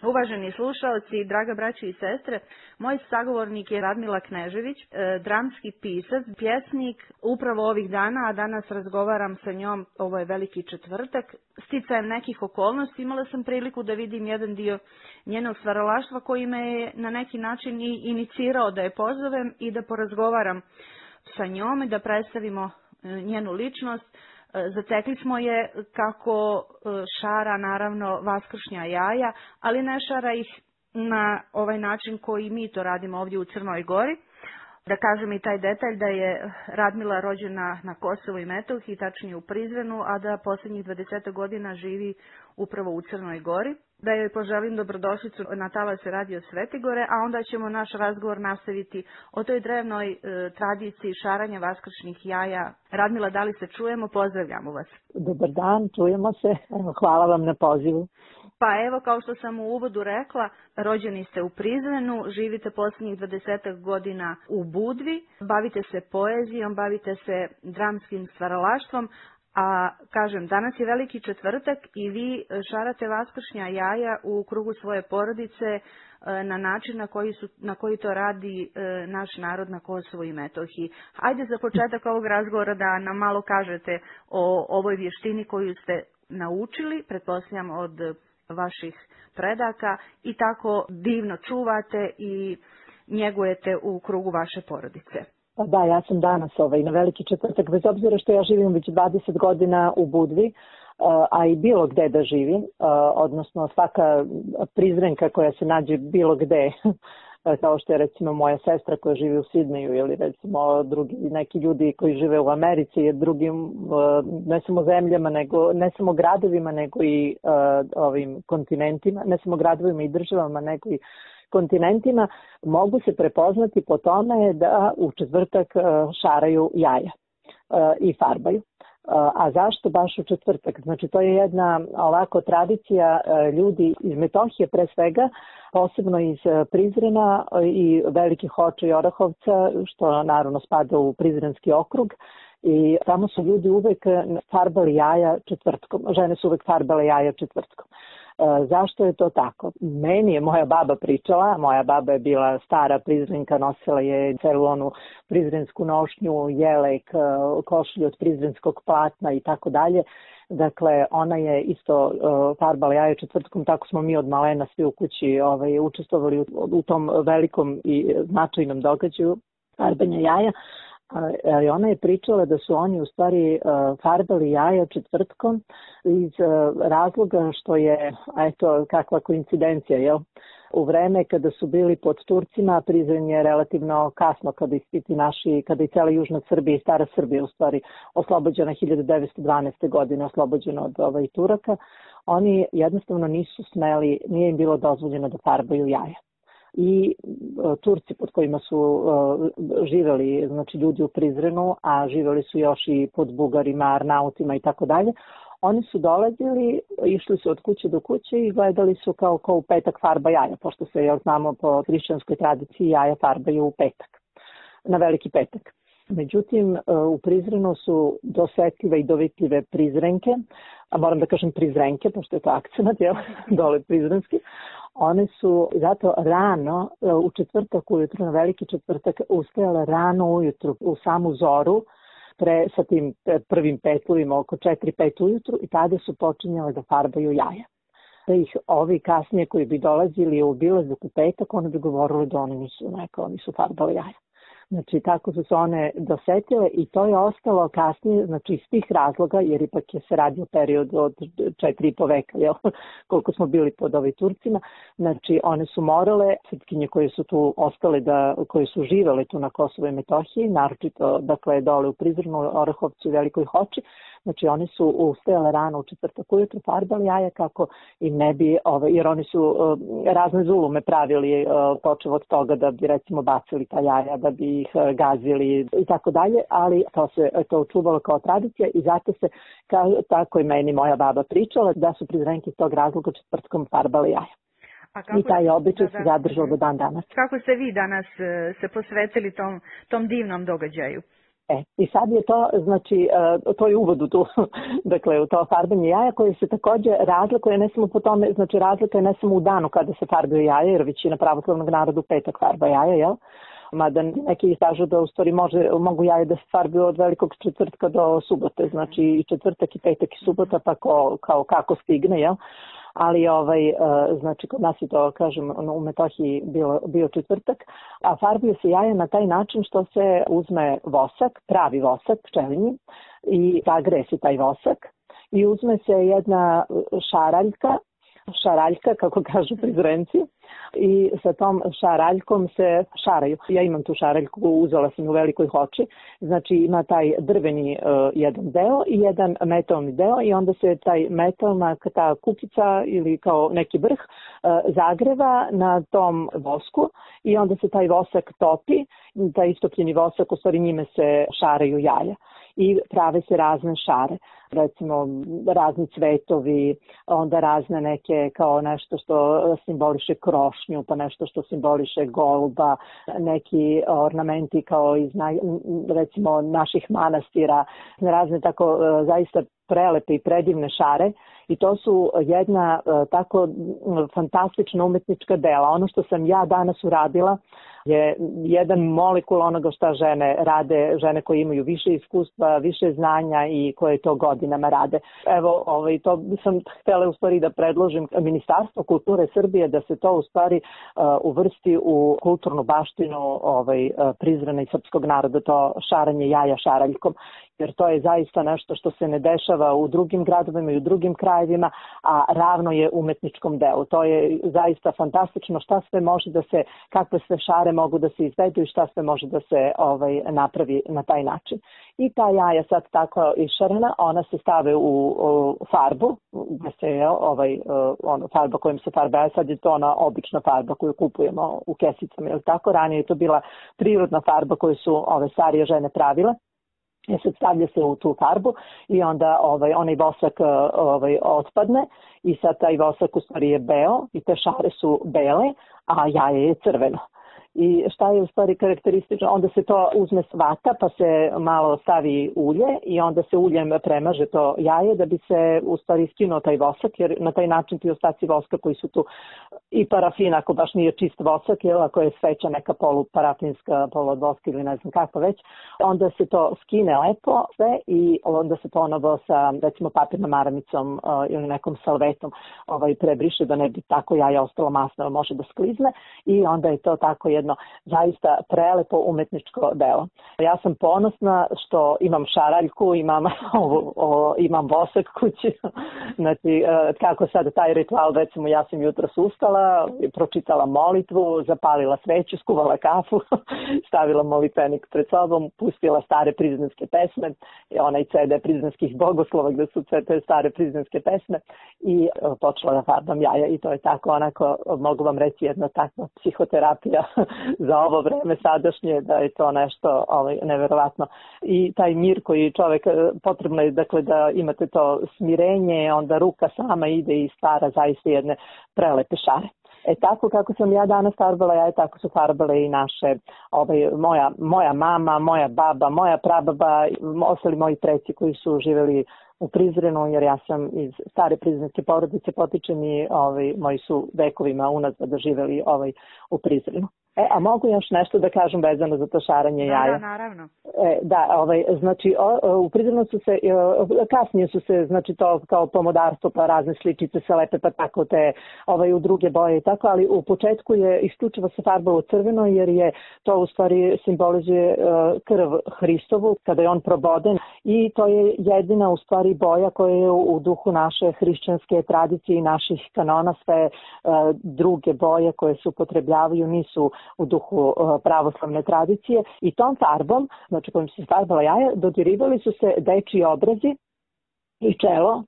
Uvaženi slušaoci, draga braćo i sestre, moj sagovornik je Radmila Knežević, dramski pisac, pjesnik. Upravo ovih dana, a danas razgovaram sa njom, ovo je Veliki četvrtak. Sticajem nekih okolnosti imala sam priliku da vidim jedan dio njenog stvaralaštva koji me je na neki način i inicirao da je pozovem i da porazgovaram sa njom i da predstavimo njenu ličnost. Zatekli smo je kako šara naravno vaskršnja jaja, ali ne šara ih na ovaj način koji mi to radimo ovdje u Crnoj Gori. Da kažem i taj detalj da je Radmila rođena na Kosovu i Metohiji, tačnije u Prizrenu, a da posljednjih 20 godina živi upravo u Crnoj Gori. Da joj poželim dobrodošlicu na talase Radio Svetigore, a onda ćemo naš razgovor nastaviti o toj drevnoj tradiciji šaranja vaskršnjih jaja. Radmila, da li se čujemo? Pozdravljamo vas. Dobar dan, čujemo se. Hvala vam na pozivu. Pa evo, kao što sam u uvodu rekla, rođeni ste u Prizrenu, živite posljednjih 20 godina u Budvi, bavite se poezijom, bavite se dramskim stvaralaštvom, a kažem, danas je Veliki četvrtak i vi šarate vaskršnja jaja u krugu svoje porodice na način na koji to radi naš narod na Kosovu i Metohiji. Hajde za početak ovog razgovora da nam malo kažete o ovoj vještini koju ste naučili, pretpostavljam od vaših predaka, i tako divno čuvate i njegujete u krugu vaše porodice. Da, ja sam danas na Veliki četvrtak, bez obzira što ja živim već 20 godina u Budvi, a i bilo gde da živim, odnosno svaka Prizrenka koja se nađe bilo gde, kao što je recimo moja sestra koja živi u Sidneju ili recimo drugi neki ljudi koji žive u Americi i drugim ne samo zemljama, ne samo gradovima, nego i ovim kontinentima, ne samo gradovima i državama, nego i kontinentima, mogu se prepoznati po tome da u četvrtak šaraju jaja i farbaju. A zašto baš u četvrtak? Znači, to je jedna ovako tradicija ljudi iz Metohije pre svega, posebno iz Prizrena i Velikih Hoča i Orahovca, što naravno spada u Prizrenski okrug. I tamo su ljudi uvek farbali jaja četvrtkom. Žene su uvek farbale jaja četvrtkom. Zašto je to tako? Meni je moja baba pričala, moja baba je bila stara Prizrenka, nosila je celu onu prizrensku nošnju, jelek, košulju od prizrenskog platna i tako dalje. Dakle, ona je isto farbala jaja četvrtkom, tako smo mi od malena svi u kući učestvovali u tom velikom i značajnom događaju farbanja jaja. Ona je pričala da su oni u stvari farbali jaja četvrtkom iz razloga što je, eto, kakva koincidencija, jel? U vreme kada su bili pod Turcima, Prizren je relativno kasno kada je cela južna Srbija i stara Srbija u stvari oslobođena 1912. godine, oslobođena od Turaka, oni jednostavno nisu smeli, nije im bilo dozvoljeno da farbaju jaja. I Turci pod kojima su živeli, znači ljudi u Prizrenu, a živeli su još i pod Bugarima, Arnautima i tako dalje, oni su dolazili, išli su od kuće do kuće i gledali su kao u petak farba jaja, pošto se, jel znamo, po hrišćanskoj tradiciji jaja farbaju u petak, na Veliki petak. Međutim, u Prizrenu su dosetljive i dovitljive Prizrenke, a moram da kažem Prizrenke, pošto je to akcenat, jel, dole prizrenski. One su zato rano, u četvrtak ujutru, na Veliki četvrtak, ustajale rano ujutru, u samu zoru, sa tim prvim petlovima oko 4-5 ujutru, i tada su počinjale da farbaju jaja. Da ih ovi kasnije koji bi dolazili u obilazak u petak, oni bi govorili da oni nisu farbali jaja. Znači, tako su se one dosetile i to je ostalo kasnije, znači iz tih razloga, jer ipak se radio period od 4,5 veka, jel, koliko smo bili pod Turcima. Znači, one su morale, srpkinje koje su tu ostale, koje su živele tu na Kosovu i Metohiji, naročito, dakle, dole u Prizrenu, Orahovcu i Velikoj Hoči, znači oni su ustajale rano u četvrtak ujutru, farbali jaja kako im ne bi, jer oni su razne zulume pravili, počev od toga da bi recimo bacili ta jaja, da bi ih gazili i tako dalje, ali to se očuvalo kao tradicija i zato se, tako i meni moja baba pričala, da su Prizrenke iz tog razloga četvrtkom farbali jaja. I taj običaj se zadržao do dan danas. Kako ste vi danas se posvetili tom divnom događaju? I sad je to, znači, to je uvod u tu, dakle, u to farbanje jaja koje se takođe razlikuje, ne samo po tome, znači razlika je ne samo u danu kada se farbaju jaja, jer većina pravoslavnog naroda u petak farba jaja, jel? Mada neki kažu da u stvari mogu jaje da se farbaju od velikog četvrtka do subote, znači i četvrtak i petak i subota, pa kao kako stigne, jel? Ali znači kod nas je to, kažem, u Metohiji bio četvrtak, a farbuje se jaje na taj način što se uzme vosak, pravi vosak, pčelinji, i zagreje se taj vosak i uzme se jedna šaraljka, kako kažu Prizrenci, i sa tom šaraljkom se šaraju. Ja imam tu šaraljku, uzela sam u Velikoj Hoči, znači ima taj drveni jedan deo i jedan metalni deo i onda se taj metalna, ta kukica ili kao neki vrh zagreva na tom vosku i onda se taj vosak topi, taj istopljeni vosak, u stvari njime se šaraju jaja i prave se razne šare, recimo razni cvetovi, onda razne neke kao nešto što simboliše krošnju, pa nešto što simboliše goluba, neki ornamenti kao iz recimo naših manastira, razne tako zaista prelepe i predivne šare i to su jedna tako fantastična umetnička dela. Ono što sam ja danas uradila je jedan molekul onoga šta žene rade, žene koje imaju više iskustva, više znanja i koje to godinama rade. Evo, to sam htjela u stvari da predložim Ministarstvo kulture Srbije da se to u stvari uvrsti u kulturnu baštinu Prizrena i srpskog naroda, to šaranje jaja šaraljkom, jer to je zaista nešto što se ne dešava u drugim gradovima i u drugim krajevima, a ravno je umetničkom delu. To je zaista fantastično šta sve može da se, kakve sve šare mogu da se izvedu i šta sve može da se napravi na taj način. I ta jaja sad tako išarana, ona se stave u farbu, gde se farba kojom se farba, a sad je to ona obična farba koju kupujemo u kesicama, jer tako ranije je to bila prirodna farba koju su ove starije žene pravile. Sad stavlja se u tu farbu i onda onaj vosak otpadne i sad taj vosak u stvari je beo i te šare su bele, a jaje je crveno. I šta je u stvari karakteristično? Onda se to uzme s vata pa se malo stavi ulje i onda se uljem premaže to jaje da bi se u stvari skinuo taj vosak, jer na taj način ti ostaci voska koji su tu i parafin, ako baš nije čist vosak, jer ako je sveća neka poluparafinska, poluodvoska ili ne znam kako već, onda se to skine lepo sve i onda se ponovo sa recimo papirnom maramicom ili nekom salvetom prebriše da ne bi tako jaja ostalo masno, može da sklizne i onda je to tako jedno zaista prelepo umetničko delo. Ja sam ponosna što imam šaraljku, imam vosak kući. Znači, kako sad taj ritual, recimo ja sam jutros ustala, pročitala molitvu, zapalila sveću, skuvala kafu, stavila molitvenik pred sobom, pustila stare prizrenske pesme, onaj CD prizrenskih bogoslova gde su sve te stare prizrenske pesme i počela da farbam jaja i to je tako onako, mogu vam reći, jedna takva psihoterapija za ovo vreme sadašnje, da je to nešto neverovatno. I taj mir koji čovek, potrebno je dakle da imate to smirenje, onda ruka sama ide i stvara zaista jedne prelepe šare. Tako kako sam ja danas farbala jaje, tako su farbale i naše, moja mama, moja baba, moja prababa, ostali moji preci koji su živeli u Prizrenu, jer ja sam iz stare prizrenske porodice, potičem i moji su vekovima unazad živeli u Prizrenu. A mogu još nešto da kažem vezano za to šaranje jaja? Da, naravno. Znači u Prizrenu su se, kasnije su se, znači to kao pomodarstvo, pa razne sličice se lepe, pa tako te u druge boje i tako, ali u početku je isključivo se farbalo crveno, jer je to u stvari simbolizuje krv Hristovu, kada je on proboden i to je jedina u stvari boja koja je u duhu naše hrišćanske tradicije i naših kanona, sve druge boje koje se upotrebljavaju nisu u duhu pravoslavne tradicije i tom farbom, znači kojim se farbala jaja, dodirivali su se dečiji obrazi i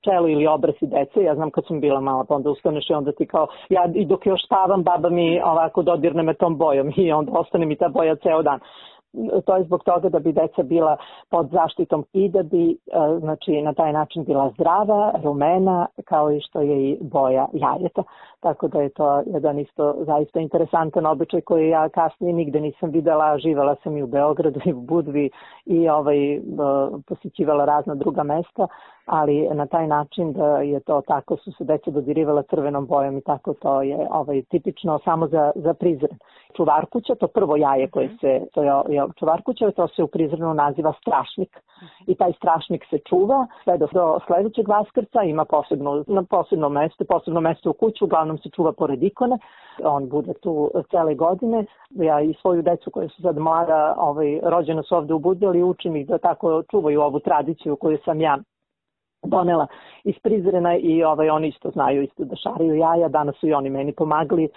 čelo ili obrazi dece. Ja znam kad sam bila mala, pa onda ustaneš i onda ti kao, ja i dok još spavam, baba mi ovako dodirne me tom bojom i onda ostane mi ta boja ceo dan. To je zbog toga da bi deca bila pod zaštitom i da bi znači, na taj način bila zdrava, rumena, kao i što je i boja jajeta. tako da je to jedan isto zaista interesantan običaj koji ja kasnije nigde nisam videla. Živela sam i u Beogradu i u Budvi i posjećivala razna druga mesta, ali na taj način da je to tako, su se deca dodirivala crvenom bojom i tako to je tipično samo za Prizren. Čuvarkuća, to prvo jaje koje čuvarkuća, to se u Prizrenu naziva strašnik. I taj strašnik se čuva sve do sledećeg Vaskrsa, ima posebno mesto u kuću, uglavnom se čuva pored ikone. On bude tu cele godine. Ja i svoju decu koja su sad mlada, rođena su ovde u Budvi, ali učim ih da tako čuvaju ovu tradiciju koju sam ja donela iz Prizrena i oni isto znaju da šaraju jaja. Danas su i oni meni pomagali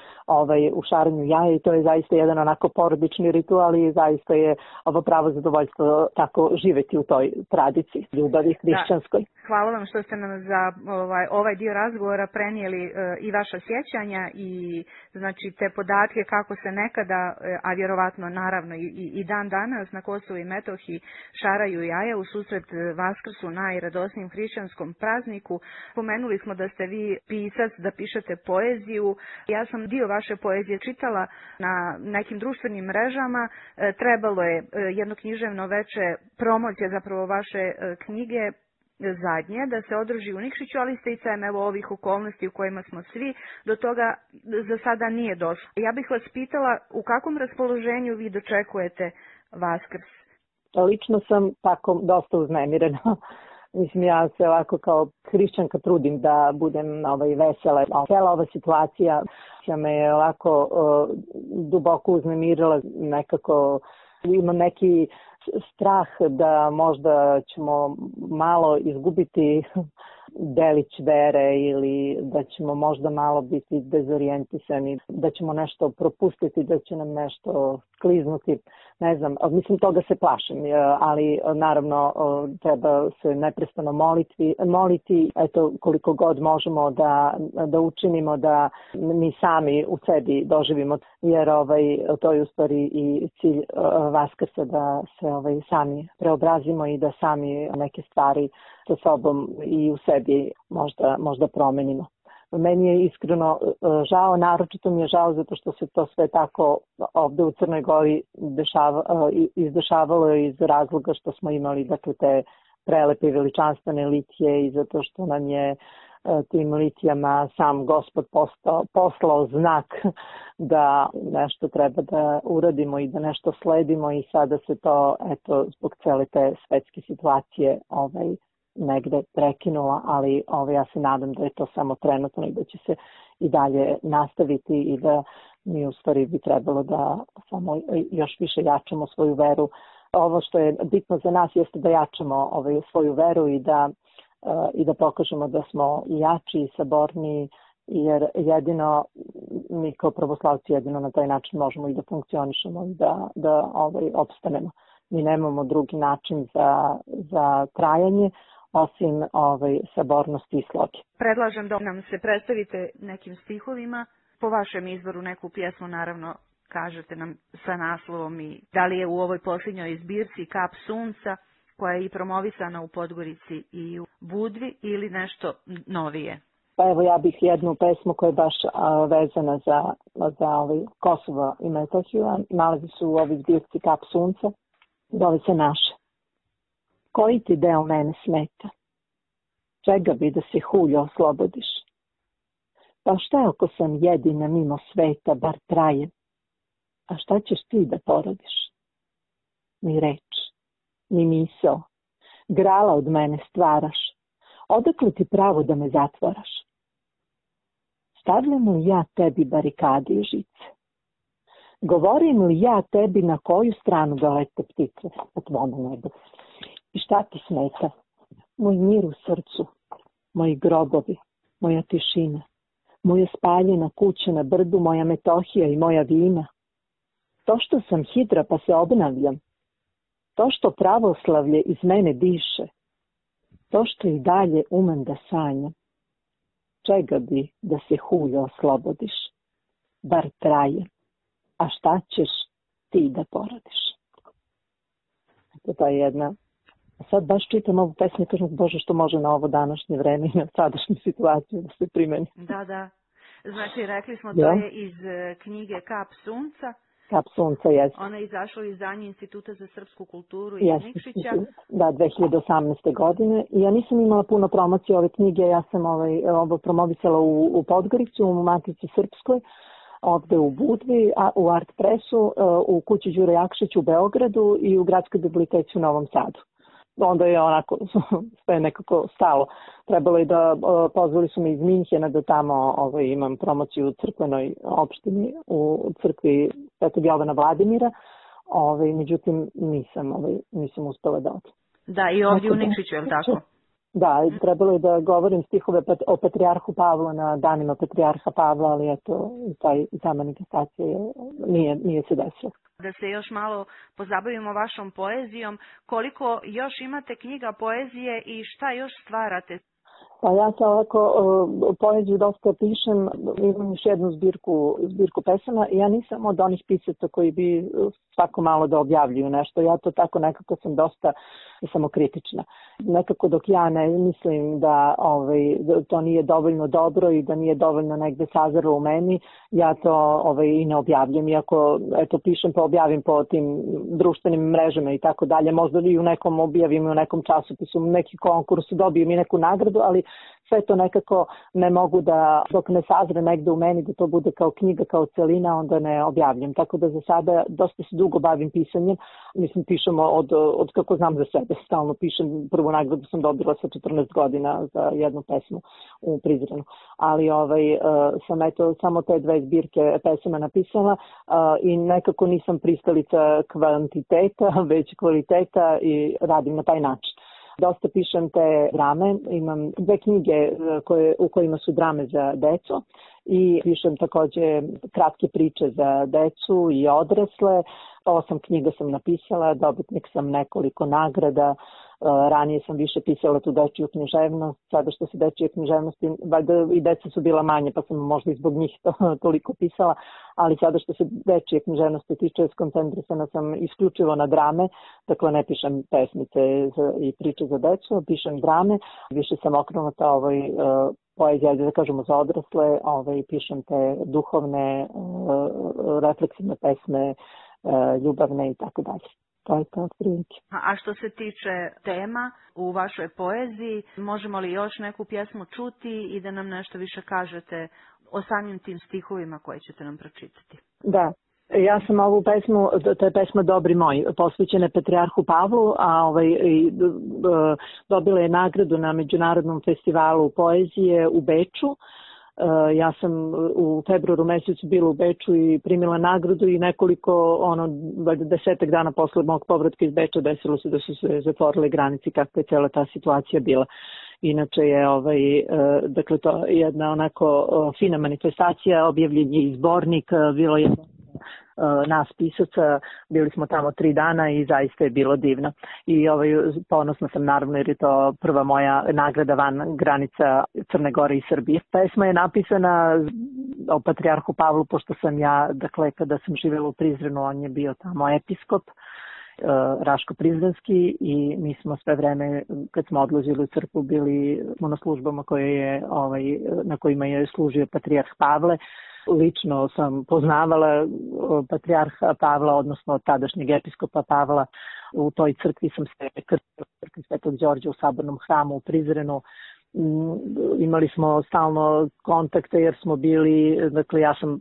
u šaranju jaja i to je zaista jedan onako porodični ritual i zaista je ovo pravo zadovoljstvo tako živeti u toj tradiciji ljubavi hrišćanskoj. Da. Hvala vam što ste nam za ovaj dio razgovora prenijeli i vaša sjećanja i znači te podatke kako se nekada, a vjerovatno naravno i dan danas na Kosovu i Metohiji šaraju jaja u susret Vaskrsu, najradosnijem hrišćanskom prazniku. Pomenuli smo da ste vi pisac, da pišete poeziju. Ja sam dio vaše poezije čitala na nekim društvenim mrežama. Trebalo je jedno književno veče promocije zapravo vaše knjige zadnje da se održi u Nikšiću, ali sticajem ovih okolnosti u kojima smo svi, do toga za sada nije došlo. Ja bih vas pitala u kakvom raspoloženju vi dočekujete Vaskrs? Lično sam tako dosta uznemirena. Mislim, ja se ovako kao hrišćanka trudim da budem vesela. Cela ova situacija me je ovako duboko uznemirila, nekako imam neki strah da možda ćemo malo izgubiti delić vere ili da ćemo možda malo biti dezorijentisani, da ćemo nešto propustiti, da će nam nešto kliznuti. Ne znam, mislim toga se plašim, ali naravno treba se neprestano moliti, eto koliko god možemo da učinimo da mi sami u sebi doživimo, jer to je u stvari i cilj Vaskrsa da se sami preobrazimo i da sami neke stvari sa sobom i u sebi možda promenimo. Meni je iskreno žao, naročito mi je žao zato što se to sve tako ovde u Crnoj Gori izdešavalo iz razloga što smo imali te prelepe i veličanstvene litije i zato što nam je tim litijama sam Gospod poslao znak da nešto treba da uradimo i da nešto sledimo i sada se to zbog cele te svetske situacije negde prekinula, ali ja se nadam da je to samo trenutno i da će se i dalje nastaviti i da mi u stvari bi trebalo da samo još više jačamo svoju veru. Ovo što je bitno za nas jeste da jačamo svoju veru i da pokažemo da smo jači i saborniji, jer jedino mi kao pravoslavci jedino na taj način možemo i da funkcionišemo i da opstanemo. Mi nemamo drugi način za trajanje osim sabornosti i sloge. Predlažem da nam se predstavite nekim stihovima, po vašem izboru neku pjesmu, naravno kažete nam sa naslovom i da li je u ovoj posljednjoj zbirci Kap sunca koja je i promovisana u Podgorici i u Budvi ili nešto novije. Pa evo ja bih jednu pesmu koja je baš vezana za Kosovo i Metohiju, nalazi se u ovoj zbirci Kap sunca, zove se Naše. Koji ti deo mene smeta? Čega bi da se hulja oslobodiš? Pa šta ako sam jedina mimo sveta, bar traje? A šta ćeš ti da porodiš? Ni reč, ni misao, grala od mene stvaraš. Odakle ti pravo da me zatvaraš? Stavljam li ja tebi barikade i žice? Govorim li ja tebi na koju stranu da lete ptice po tvome nebu? I šta ti smeta? Moj mir u srcu, moji grobovi, moja tišina, moja spaljena kuća na brdu, moja Metohija i moja vina. To što sam hidra pa se obnavljam, to što pravoslavlje iz mene diše, to što i dalje umem da sanjam. Čega bi da se hulja oslobodiš? Bar traje. A šta ćeš ti da porodiš? To je jedna. Sad baš čitam ovu pesmu i kažem, Bože, što može na ovo današnje vreme i na sadašnju situaciju da se primeni. Da. Znači, rekli smo, to je iz knjige Kap sunca. Kap sunca, jeste. Ona je izašla u izdanju Instituta za srpsku kulturu iz Nikšića. Da, 2018. godine. Ja nisam imala puno promocije ove knjige, ja sam ovo promovisala u Podgorici, u Matici Srpskoj, ovde u Budvi, u Art Pressu, u kući Đure Jakšić u Beogradu i u Gradskoj biblioteci u Novom Sadu. Onda je onako sve nekako stalo. Trebalo je da, pozvali su me iz Minhena da tamo imam promociju u crkvenoj opštini, u crkvi Svetog Jovana Vladimira, međutim nisam uspela da odem. Da, i ovdje u Nikšiću, je li tako? Da, trebalo je da govorim stihove o Patrijarhu Pavlu na danima Patrijarha Pavla, ali eto, ta manifestacija nije se desila. Da se još malo pozabavimo vašom poezijom, koliko još imate knjiga poezije i šta još stvarate? Pa ja se ovako poeziju dosta pišem, imam još jednu zbirku pesama. Ja nisam od onih pisaca koji bi svako malo da objavljuju nešto. Ja to tako nekako sam dosta samokritična. Nekako dok ja ne mislim da to nije dovoljno dobro i da nije dovoljno negde sazrelo u meni, ja to i ne objavljam. Iako pišem pa objavim po tim društvenim mrežama i tako dalje. Možda i u nekom objavim, u nekom časopisu, neki konkurs, dobijem i neku nagradu, ali sve to nekako ne mogu da, dok ne sazre negde u meni, da to bude kao knjiga, kao celina, onda ne objavljam. Tako da za sada dosta se dugo bavim pisanjem. Mislim, pišemo od kako znam za sebe. Stalno pišem. Prvu nagradu sam dobila sa 14 godina za jednu pesmu u Prizrenu. Ali sam samo te 2 zbirke pesama napisala i nekako nisam pristalica kvantiteta, već kvaliteta i radim na taj način. Dosta pišem te drame, imam 2 knjige u kojima su drame za decu i pišem takođe kratke priče za decu i odrasle. 8 knjiga sam napisala, dobitnik sam nekoliko nagrada. Ranije sam više pisala tu dečiju književnost, sada što se dečije književnosti, valjda i deca su bila manje pa sam možda i zbog njih toliko pisala, ali sada što se dečije književnosti tiče, skoncentrisana sam isključivo na drame, dakle ne pišem pesmice i priče za decu, pišem drame, više sam okrenuta poezija, da kažemo za odrasle, pišem te duhovne, refleksivne pesme, ljubavne i tako dalje. To je to prilike. A što se tiče tema u vašoj poeziji, možemo li još neku pjesmu čuti i da nam nešto više kažete o samim tim stihovima koje ćete nam pročitati? Da. Ja sam ovu pesmu, to je pesma Dobri moj, posvećena Patrijarhu Pavlu, a dobila je nagradu na Međunarodnom festivalu poezije u Beču. Ja sam u februaru mesecu bila u Beču i primila nagradu i nekoliko, 10 dana posle mog povratka iz Beča desilo se da su se zatvorile granice, kakva je cela ta situacija bila. Inače je dakle to je jedna onako fina manifestacija, objavljen je i zbornik, bilo je nas pisaca, bili smo tamo 3 dana i zaista je bilo divno. I ponosna sam naravno jer je to prva moja nagrada van granica Crne Gore i Srbije. Pesma je napisana o Patrijarhu Pavlu, pošto sam ja, dakle kada sam živjela u Prizrenu, on je bio tamo episkop Raško Prizrenski i mi smo sve vreme kad smo odlazili u crkvu bili na službama na kojima je služio Patrijarh Pavle. Lično sam poznavala Patrijarha Pavla, odnosno tadašnjeg episkopa Pavla. U toj crkvi sam se krstila, u crkvi Svetog Đorđa u Sabornom hramu u Prizrenu. Imali smo stalno kontakte jer smo bili, dakle ja sam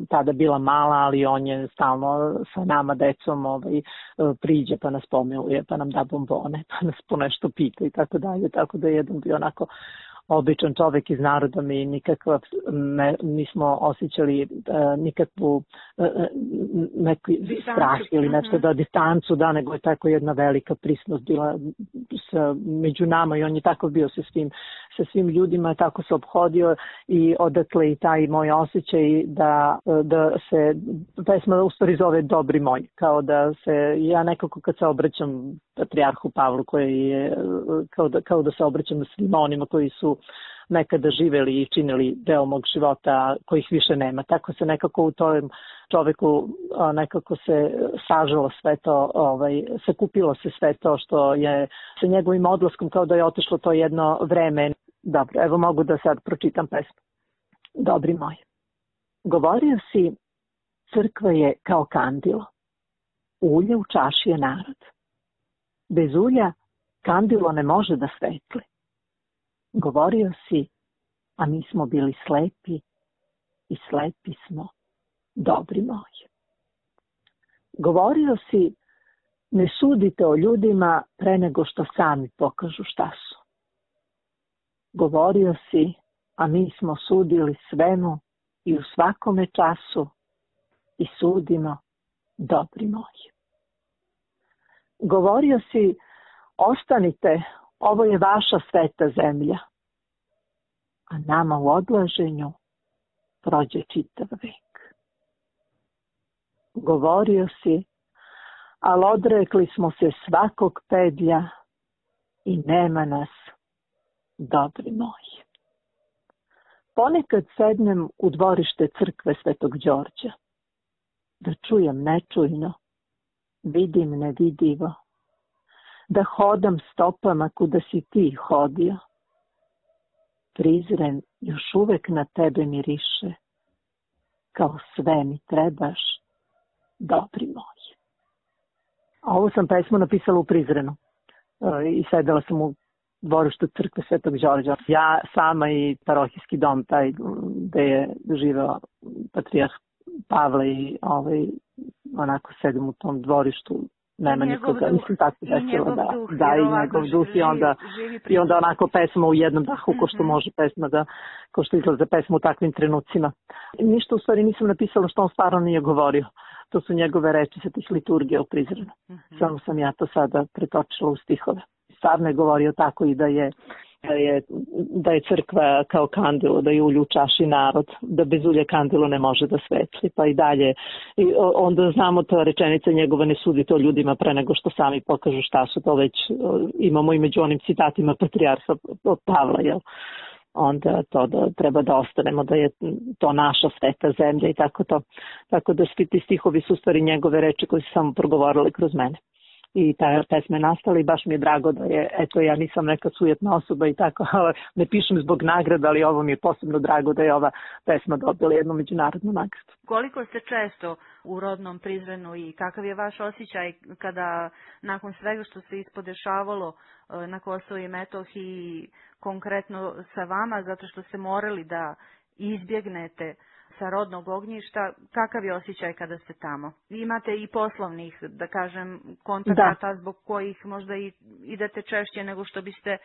tada bila mala, ali on je stalno sa nama decom priđe pa nas pomiluje, pa nam da bombone, pa nas po nešto pita i tako dalje, tako da je jedan bio onako običan čovek iz naroda, mi nikakva nismo osjećali nikakvu neki strah ili nešto da distancu, da, nego je tako jedna velika prisnost bila među nama i on je tako bio sa svim ljudima, tako se ophodio i odatle i taj moj osjećaj da se pesma u stvari zove Dobri moj, kao da se ja nekako kad se obraćam Patrijarhu Pavlu koji je kao da se obraćam svima onima koji su nekada živeli i činili deo mog života kojih više nema. Tako se nekako u tom čoveku nekako se sažalo sve to, sakupilo se sve to što je sa njegovim odlaskom kao da je otišlo to jedno vreme. Dobro, evo mogu da sad pročitam pesmu. Dobri moj. Govorio si, crkva je kao kandilo. Ulje u čaši je narod. Bez ulja kandilo ne može da svetli. Govorio si, a mi smo bili slepi i slepi smo, dobri moji. Govorio si, ne sudite o ljudima pre nego što sami pokažu šta su. Govorio si, a mi smo sudili svemu i u svakome času i sudimo, dobri moji. Govorio si, ostanite, ovo je vaša sveta zemlja, a nama u odlaženju prođe čitav vek. Govorio si, ali odrekli smo se svakog pedlja i nema nas, dobri moji. Ponekad sednem u dvorište crkve Svetog Đorđa, da čujem nečujno, vidim nevidivo, da hodam stopama kuda si ti hodio. Prizren još uvek na tebe miriše, kao sve mi trebaš, dobri moji. A ovu sam pesmu napisala u Prizrenu i sedela sam u dvorištu crkve Svetog Đorđa. Ja sama i parohijski dom, taj gde je živeo patrijarh Pavle i onako sedim u tom dvorištu, nema nikoga. Mislim tako desilo da i njegov duh i onda onako pesma u jednom dahu, ko što može pesma da, ko što izlaze pesma u takvim trenucima. Ništa u stvari nisam napisala što on stvarno nije govorio. To su njegove reči sa tih liturgija u Prizrenu. Samo sam ja to sada pretočila u stihove. Stvarno je govorio tako i da je crkva kao kandilo, da je ulje u čaši narod, da bez ulja kandilo ne može da svetli, pa i dalje. I onda znamo ta rečenica njegova, ne sudite o ljudima pre nego što sami pokažu šta su, to već imamo i među onim citatima patrijarha Pavla, jel? Onda to da treba da ostanemo, da je to naša sveta zemlja i tako to. Tako da svi ti stihovi su stvari njegove reči koje su samo progovorili kroz mene. I ta pesma je nastala i baš mi je drago da je, eto ja nisam neka sujetna osoba i tako, ne pišem zbog nagrada, ali ovo mi je posebno drago da je ova pesma dobila jednu međunarodnu nagradu. Koliko ste često u rodnom Prizrenu i kakav je vaš osjećaj kada nakon svega što se ispodešavalo na Kosovo i Metohiji, konkretno sa vama, zato što ste morali da izbjegnete sa rodnog ognjišta, kakav je osjećaj kada ste tamo? Vi imate i poslovnih, da kažem, kontakata zbog kojih možda i idete češće nego što biste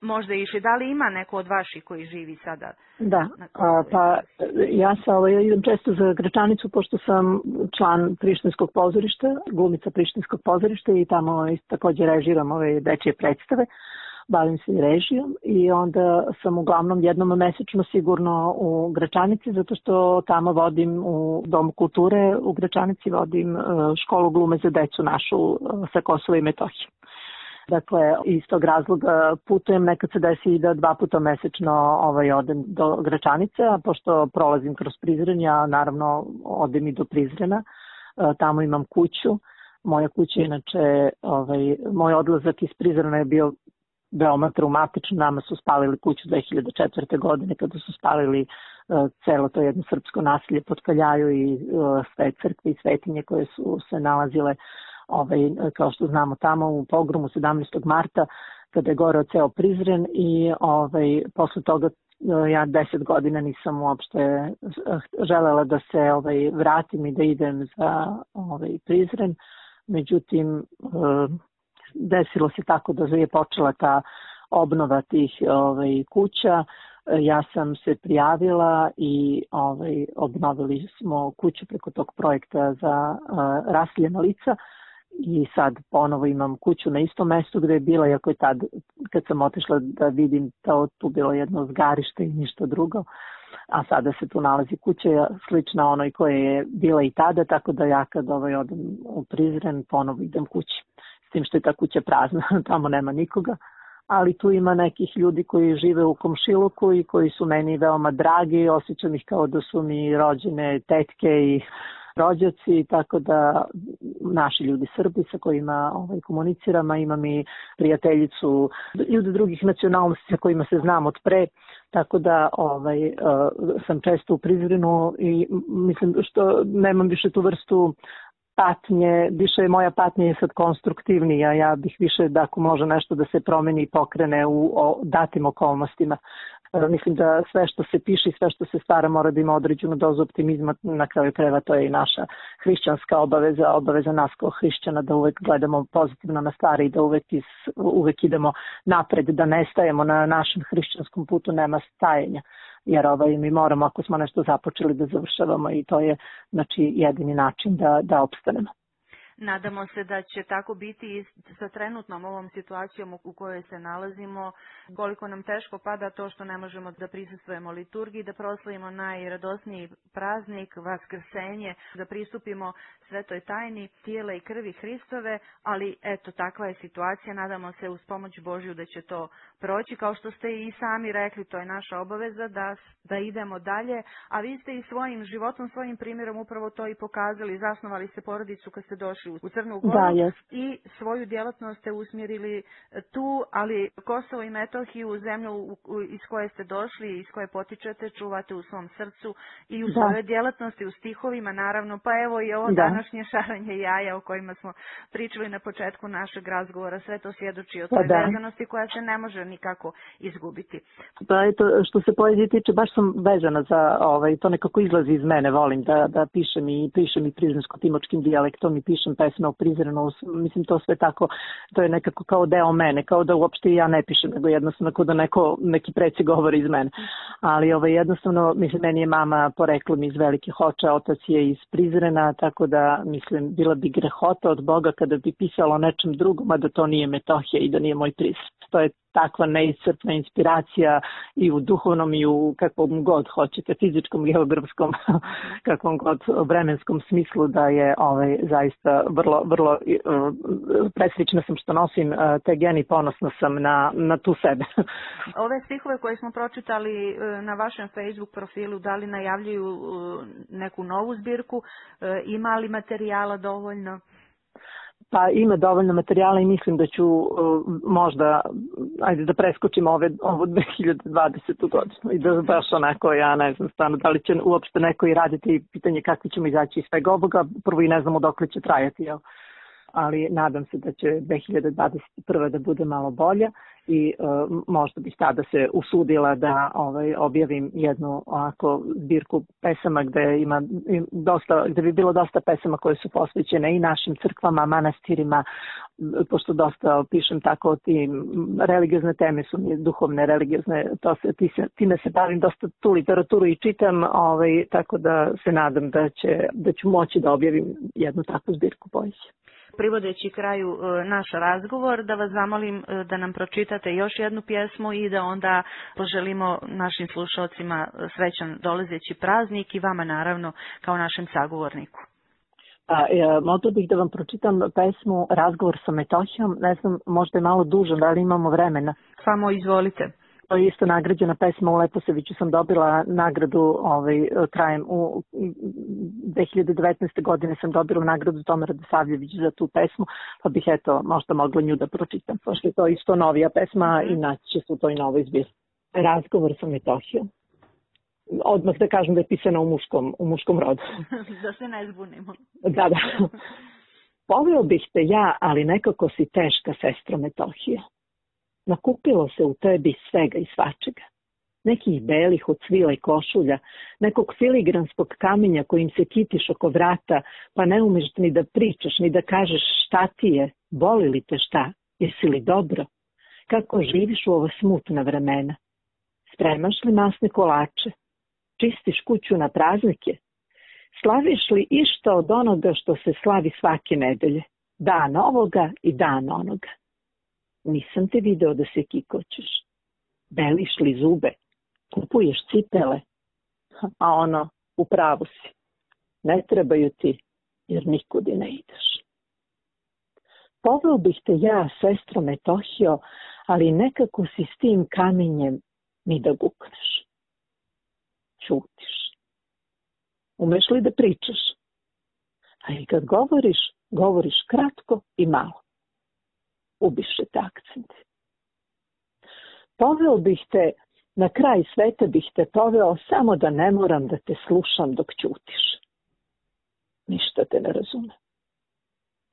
možda išli. Da li ima neko od vaših koji živi sada? Da, pa ja idem često za Gračanicu, pošto sam član Prištinskog pozorišta, glumica Prištinskog pozorišta i tamo također režiram ove dečije predstave. Bavim se i režijom i onda sam uglavnom jednom mesečno sigurno u Gračanici, zato što tamo vodim u Domu kulture, u Gračanici vodim školu glume za decu našu sa Kosova i Metohije. Dakle, iz tog razloga putujem, nekad se desi i da 2 puta mesečno odem do Gračanice, a pošto prolazim kroz Prizren, ja naravno odem i do Prizrena, tamo imam kuću. Moja kuća, inače, moj odlazak iz Prizrena je bio veoma traumatično. Nama su spalili kuću 2004. godine kada su spalili celo to jedno srpsko naselje pod Kaljaju i sve crkve i svetinje koje su se nalazile, kao što znamo, tamo u pogromu 17. marta kada je goreo ceo Prizren i posle toga ja 10 godina nisam uopšte želela da se vratim i da idem za Prizren. Međutim, desilo se tako da je počela ta obnova tih kuća. Ja sam se prijavila i obnovili smo kuću preko tog projekta za raseljena lica i sad ponovo imam kuću na istom mestu gde je bila, iako je tad kad sam otišla da vidim tu bilo jedno zgarište i ništa drugo, a sada se tu nalazi kuća slična onoj koja je bila i tada, tako da ja kad odem u Prizren ponovo idem kući. S tim što je ta kuća prazna, tamo nema nikoga, ali tu ima nekih ljudi koji žive u komšiluku i koji su meni veoma dragi, osjećam ih kao da su mi rođene tetke i rođaci, tako da naši ljudi Srbi sa kojima komuniciram, a imam i prijateljicu, ljudi drugih nacionalnosti sa kojima se znam od pre, tako da sam često u Prizrenu i mislim što nemam više tu vrstu patnje, više moja patnja je sad konstruktivnija, ja bih više da ako može nešto da se promeni i pokrene u datim okolnostima. Mislim da sve što se piše i sve što se stvara mora da ima određenu dozu optimizma, na kraju krajeva to je i naša hrišćanska obaveza nas kao hrišćana da uvek gledamo pozitivno na stvari i da uvek idemo napred, da ne stajemo na našem hrišćanskom putu, nema stajanja. Jer mi moramo, ako smo nešto započeli, da završavamo i to je jedini način da opstanemo. Nadamo se da će tako biti i sa trenutnom ovom situacijom u kojoj se nalazimo, koliko nam teško pada to što ne možemo da prisustvujemo liturgiji, da proslavimo najradosniji praznik, Vaskrsenje, da pristupimo svetoj tajni tijela i krvi Hristove, ali eto, takva je situacija, nadamo se uz pomoć Božju da će to proći, kao što ste i sami rekli, to je naša obaveza da idemo dalje, a vi ste i svojim životom, svojim primjerom upravo to i pokazali, zasnovali ste porodicu kad ste došli u Crnu Goru i svoju djelatnost ste usmjerili tu, ali Kosovo i Metohiju, zemlju iz koje ste došli, iz koje potičete, čuvate u svom srcu i u svojoj djelatnosti, u stihovima naravno, pa evo i ovo današnje šaranje jaja o kojima smo pričali na početku našeg razgovora, sve to svjedoči o toj vezanosti koja se ne može nikako izgubiti. Pa eto, što se poezije tiče, baš sam vezana za to nekako izlazi iz mene, volim da pišem i prizrensko-timočkim dijalektom i pišem pesme o Prizrenu, mislim to sve tako, to je nekako kao deo mene, kao da uopšte ja ne pišem, nego jednostavno kao da neki preci govori iz mene. Ali jednostavno, mislim, meni je mama poreklom iz Velike Hoče, otac je iz Prizrena, tako da, mislim, bila bi grehota od Boga kada bi pisala o nečem drugom, a da to nije Metohija i da nije moj Prizren. To je takva neiscrpna inspiracija i u duhovnom i u kakvom god hoćete, fizičkom, geografskom, kakvom god vremenskom smislu, da je zaista vrlo presrećna sam što nosim te geni, ponosna sam na tu sebe. Ove stihove koje smo pročitali na vašem Facebook profilu, da li najavljuju neku novu zbirku, ima li materijala dovoljno? Pa ima dovoljno materijala i mislim da ću možda, ajde da preskočim ovu 2020. godinu i da baš onako, ja ne znam stvarno da li će uopšte neko i raditi, pitanje kakvi ćemo izaći iz svega ovoga, prvo i ne znamo dokle će trajati, jel? Ali nadam se da će 2021. da bude malo bolja i možda bih tada se usudila da objavim jednu ovako zbirku pesama gde bi bilo dosta pesama koje su posvećene i našim crkvama, manastirima, pošto dosta pišem tako o tim religiozne teme su mi duhovne, religiozne, time se bavim dosta tu literaturu i čitam, tako da se nadam da ću moći da objavim jednu takvu zbirku poezije. Privodeći kraju naš razgovor, da vas zamolim da nam pročitate još jednu pjesmu i da onda poželimo našim slušalcima srećan dolazeći praznik i vama naravno kao našem sagovorniku. Mogla bih da vam pročitam pesmu Razgovor sa Metohijom, ne znam, možda je malo dužan, da li imamo vremena? Samo izvolite. To je isto nagrađena pesma u Leposeviću, sam dobila nagradu krajem u 2019. godine sam dobila nagradu Toma Radosavljević za tu pesmu, pa bih možda mogla nju da pročitam, pošto je to isto novija pesma i naći će se u toj novoj zbirci. Razgovor sa Metohijom. Odmah da kažem da je pisana u muškom rodu. Da se ne zbunimo. Da. Voleo bih te ja, ali nekako si teška, sestro Metohija. Nakupilo se u tebi svega i svačega. Nekih belih od svila i košulja, nekog filigranskog kamenja kojim se kitiš oko vrata, pa ne umeš ni da pričaš, ni da kažeš šta ti je, boli li te šta, jesi li dobro? Kako živiš u ova smutna vremena? Spremaš li masne kolače? Čistiš kuću na praznike? Slaviš li išta od onoga što se slavi svake nedelje? Dan ovoga i dan onoga. Nisam te video da se kikoćeš. Beliš li zube? Kupuješ cipele? A u pravu si. Ne trebaju ti, jer nikud i ne ideš. Poveo bih te ja, sestro Metohijo, ali nekako si s tim kamenjem ni da gukneš. Ćutiš. Umeš li da pričaš? A i kad govoriš, govoriš kratko i malo. Ubiše te akcenti. Poveo bih te, na kraj sveta bih te poveo samo da ne moram da te slušam dok ćutiš. Ništa te ne razume.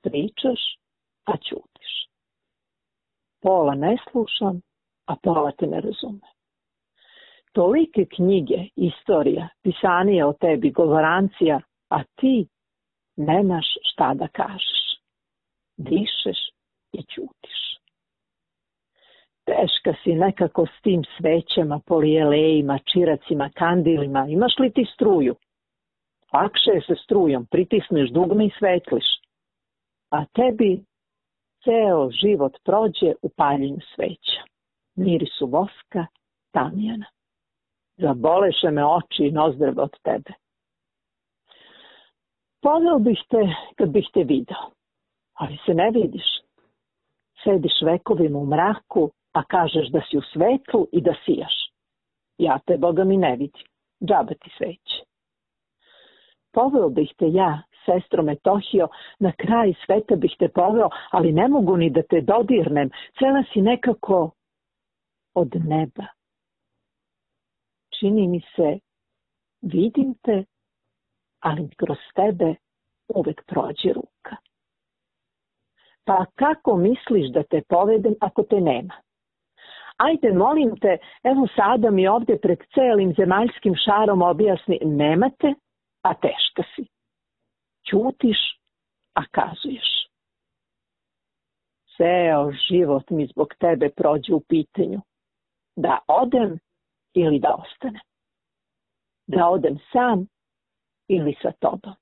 Pričaš, a ćutiš. Pola ne slušam, a pola te ne razume. Tolike knjige, istorija, pisanije o tebi, govorancija, a ti nemaš šta da kažeš. Dišeš i ćutiš. Teška si nekako s tim svećama, polijelejima, čiracima, kandilima. Imaš li ti struju? Lakše je se strujom, pritisneš dugme i svetliš. A tebi ceo život prođe u paljenju sveća. Mirisu voska, tamjana. Zaboleše me oči i nozdrve od tebe. Poveo bih te kad bih te video, ali se ne vidiš. Sediš vekovima u mraku, a kažeš da si u svetlu i da sijaš. Ja te, Boga mi, ne vidim. Džabe ti sveće. Poveo bih te ja, sestro Metohio, na kraj sveta bih te poveo, ali ne mogu ni da te dodirnem. Cela si nekako od neba. Čini mi se, vidim te, ali kroz tebe uvek prođe ruka. Pa kako misliš da te povedem ako te nema? Ajde, molim te, evo sada mi ovdje pred celim zemaljskim šarom objasni, nema te, a teška si. Ćutiš, a kazuješ. Ceo život mi zbog tebe prođe u pitanju. Da odem ili da ostane. Da odem sam ili sa tobom.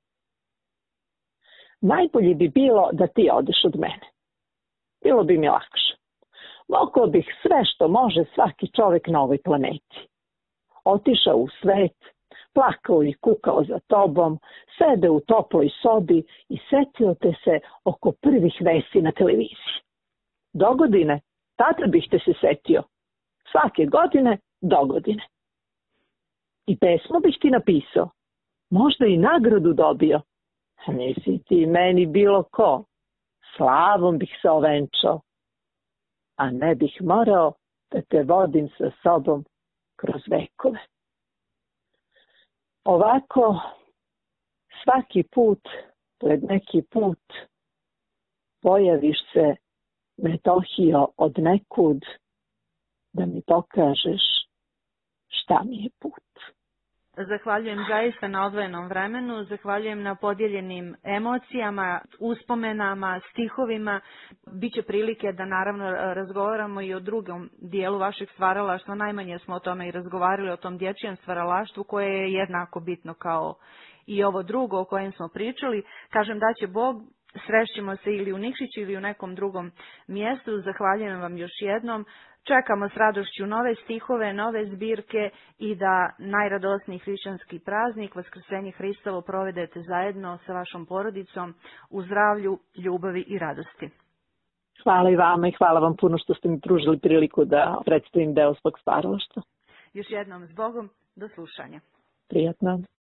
Najbolje bi bilo da ti odeš od mene. Bilo bi mi lakše. Mogao bih sve što može svaki čovjek na ovoj planeti. Otišao u svet, plakao i kukao za tobom, sede u toploj sobi i setio te se oko prvih vesti na televiziji. Dogodine, tada bih te se setio. Svake godine, dogodine. I pesmu bih ti napisao. Možda i nagradu dobio. Nisi ti meni bilo ko. Slavom bih se ovenčao. A ne bih morao da te vodim sa sobom kroz vekove. Ovako, svaki put, pred neki put, pojaviš se, Metohio, od nekud, da mi pokažeš šta mi je put. Zahvaljujem zaista na odvojenom vremenu, zahvaljujem na podijeljenim emocijama, uspomenama, stihovima. Biće prilike da naravno razgovaramo i o drugom dijelu vašeg stvaralaštva. Najmanje smo o tome i razgovarali, o tom dječjem stvaralaštvu koje je jednako bitno kao i ovo drugo o kojem smo pričali. Kažem da će Bog, srešćemo se ili u Nikšiću ili u nekom drugom mjestu. Zahvaljujem vam još jednom. Čekamo s radošću nove stihove, nove zbirke i da najradosniji hrišćanski praznik, Vaskrsenje Hristovo, provedete zajedno sa vašom porodicom u zdravlju, ljubavi i radosti. Hvala i vama i hvala vam puno što ste mi pružili priliku da predstavim deo svog stvaralaštva. Još jednom s Bogom, do slušanja. Prijatno.